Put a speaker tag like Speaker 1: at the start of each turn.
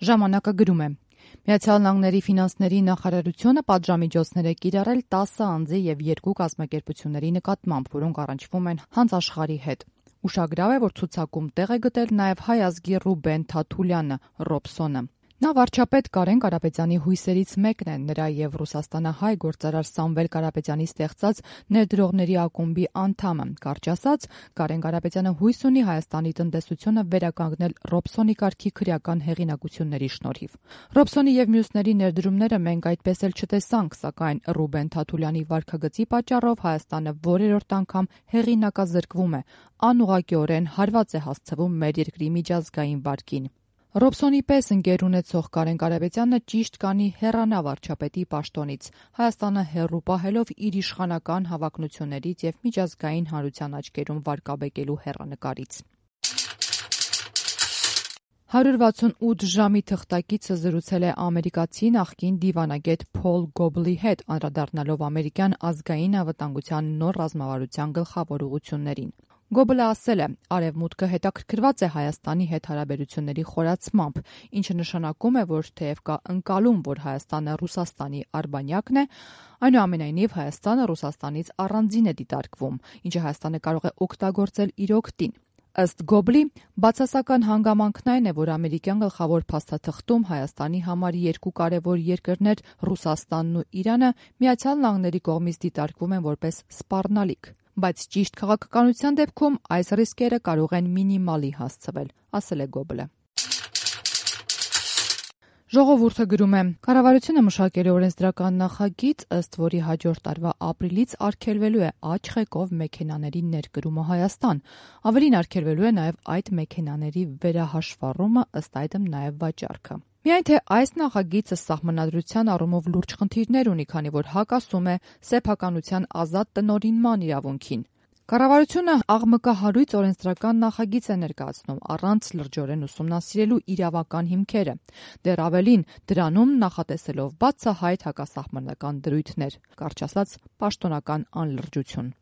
Speaker 1: Ժամանակը գրում է. Միացյալ Նահանգների ֆինանսների նախարարությունը պատժամիջոցներ է կիրառել 10 անձի եւ 2 կազմակերպությունների նկատմամբ, որոնք առնչվում են հանձաշխարհի հետ։ Ուշագրավ է, որ ցուցակում տեղ է գտել նաեւ հայ ազգի Ռուբեն Թաթուլյանը՝ Ռոբսոնը։ Նա վարչապետ Կարեն Կարապետյանի հույսերից մեկն է, նրա եւ ռուսաստանահայ գործարար Սամվել Կարապետյանի ստեղծած ներդրողների ակումբի անդամը։ Կարճ ասած, Կարեն Կարապետյանը հույս ունի Հայաստանի տնտեսությունը վերականգնել Ռոբսոնի կարգի քրեական հեղինակությունների շնորհիվ։ Ռոբսոնի եւ մյուսների ներդրումները մենք այդպես էլ չտեսանք, սակայն Ռուբեն Թաթուլյանի վարքագծի պատճառով Հայաստանը որերորդ անգամ հեղինակազրկվում է, անուղղակիորեն հարված է հասցվում մեր երկրի միջազգային վարկին։ Ռոբսոնի պես ընկեր ունեցող Կարեն Կարապետյանը ճիշտ կանի հեռանա վարչապետի պաշտոնից, Հայաստանը հեռու պահելով իր իշխանական հավակնություններից եւ միջազգային հանրության աչքերում վարկաբեկելու հեռանկարից։ 168 ժամի թղթակիցը զրուցել է ամերիկացի նախկին դիվանագետ Փոլ Գոբլի հետ, անդրադառնալով ամերիկյան ազգային անվտանգության նոր ռազմավարության գլխավոր ուղղություններին։ Գոբլը ասել է. «Արևմուտքը հետաքրքրված է Հայաստանի հետ հարաբերությունների խորացմամբ, ինչը նշանակում է, որ թեև կա ընկալում, որ Հայաստանը Ռուսաստանի արբանյակն է, այնուամենայնիվ Հայաստանը Ռուսաստանից առանձին է դիտարկվում, ինչը Հայաստանը կարող է օգտագործել իր օգտին»։ Ըստ Գոբլի, բացասական հանգամանքն այն է, որ ամերիկյան գլխավոր փաստաթղթում Հայաստանի համար երկու կարևոր երկրներ՝ Ռուսաստանն ու Իրանը, Միացյալ Նահանգների կողմից դիտարկվում են որպես սպառնալիք։ Բայց ճիշտ քաղաքականության դեպքում այս ռիսկերը կարող են մինիմալի հասցվել, ասել է Գոբլը։ Ժողովուրդը գրում է. Կառավարությունը մշակել է օրենսդրական նախագիծ, ըստ որի հաջորդ տարվա ապրիլից արգելվելու է աջ ղեկով մեքենաների ներկրումը Հայաստան։ Ավելին, արգելվելու է նաև այդ մեքենաների վերահաշվառումը, ըստ այդմ նաև վաճառքը։ Միայն թե այս նախագիծը սահմանադրության առումով լուրջ խնդիրներ ունի, քանի որ հակասում է սեփականության ազատ տնօրինման իրավունքին։ Կառավարությունը աղմկահարույց օրենսդրական նախագիծ է ներկայացնում, առանց լրջորեն ուսումնասիրելու իրավական հիմքերը։ Դեռ ավելին, դրանում նախատեսելով բացահայտ հակասահմանական դրույթներ, կարճ ասած՝ պաշտոնական անլրջություն։